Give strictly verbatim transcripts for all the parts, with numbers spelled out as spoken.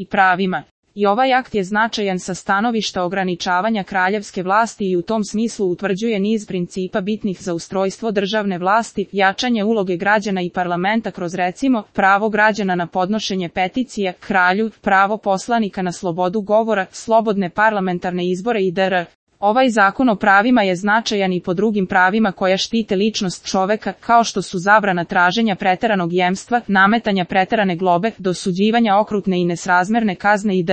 i pravima. I ovaj akt je značajan sa stanovišta ograničavanja kraljevske vlasti i u tom smislu utvrđuje niz principa bitnih za ustrojstvo državne vlasti, jačanje uloge građana i parlamenta kroz recimo pravo građana na podnošenje peticije kralju, pravo poslanika na slobodu govora, slobodne parlamentarne izbore itd. Ovaj zakon o pravima je značajan i po drugim pravima koja štite ličnost čoveka, kao što su zabrana traženja preteranog jemstva, nametanja preterane globe, dosuđivanja okrutne i nesrazmerne kazne itd.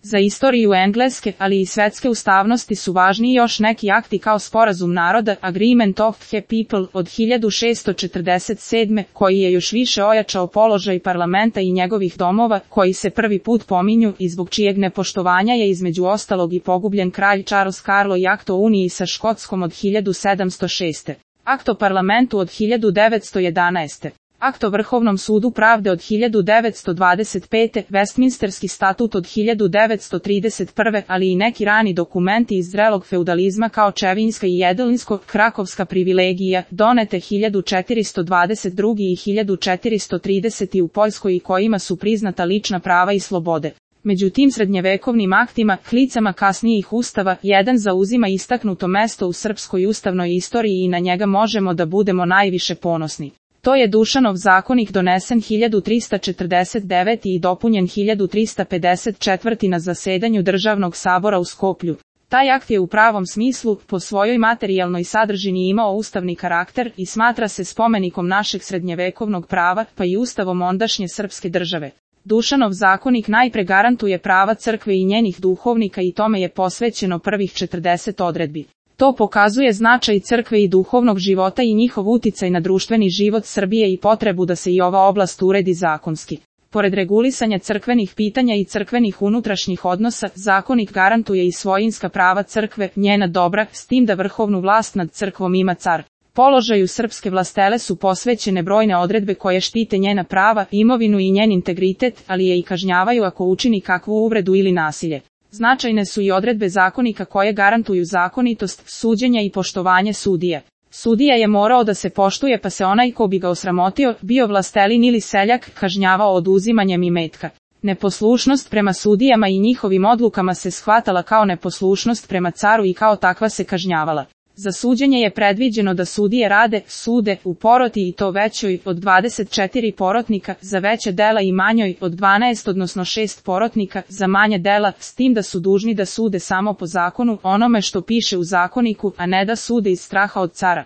Za istoriju engleske, ali i svetske ustavnosti su važni još neki akti kao Sporazum naroda, Agreement of the People od hiljadu šessto četrdeset sedme, koji je još više ojačao položaj parlamenta i njegovih domova, koji se prvi put pominju i zbog čijeg nepoštovanja je između ostalog i pogubljen kralj Charles Carlo i akt o uniji sa Škotskom od hiljadu sedamsto šeste. Akt o parlamentu od hiljadu devetsto jedanaeste. Akt o Vrhovnom sudu pravde od hiljadu devetsto dvadeset pete. Westminsterski statut od hiljadu devetsto trideset prve. ali i neki rani dokumenti iz zrelog feudalizma kao Čevinjska i Jedelinsko, Krakovska privilegija, donete hiljadu četiristo dvadeset druge. i hiljadu četiristo tridesete. u Poljskoj i kojima su priznata lična prava i slobode. Među tim srednjevekovnim aktima, hlicama kasnijih ustava, jedan zauzima istaknuto mesto u srpskoj ustavnoj istoriji i na njega možemo da budemo najviše ponosni. To je Dušanov zakonik donesen hiljadu trista četrdeset devete. i dopunjen hiljadu trista pedeset četvrte. na zasedanju Državnog sabora u Skoplju. Taj akt je u pravom smislu, po svojoj materijalnoj sadržini imao ustavni karakter i smatra se spomenikom našeg srednjevekovnog prava, pa i ustavom ondašnje srpske države. Dušanov zakonik najpre garantuje prava crkve i njenih duhovnika i tome je posvećeno prvih četrdeset odredbi. To pokazuje značaj crkve i duhovnog života i njihov uticaj na društveni život Srbije i potrebu da se i ova oblast uredi zakonski. Pored regulisanja crkvenih pitanja i crkvenih unutrašnjih odnosa, zakonik garantuje i svojinska prava crkve, njena dobra, s tim da vrhovnu vlast nad crkvom ima car. Položaju srpske vlastele su posvećene brojne odredbe koje štite njena prava, imovinu i njen integritet, ali je i kažnjavaju ako učini kakvu uvredu ili nasilje. Značajne su i odredbe zakonika koje garantuju zakonitost, suđenja i poštovanje sudija. Sudija je morao da se poštuje pa se onaj ko bi ga osramotio, bio vlastelin ili seljak, kažnjavao oduzimanjem imetka. Neposlušnost prema sudijama i njihovim odlukama se shvatala kao neposlušnost prema caru i kao takva se kažnjavala. Za suđenje je predviđeno da sudije rade, sude, u poroti i to većoj od dvadeset četiri porotnika, za veće dela i manjoj od dvanaest odnosno šest porotnika, za manje dela, s tim da su dužni da sude samo po zakonu, onome što piše u zakoniku, a ne da sude iz straha od cara.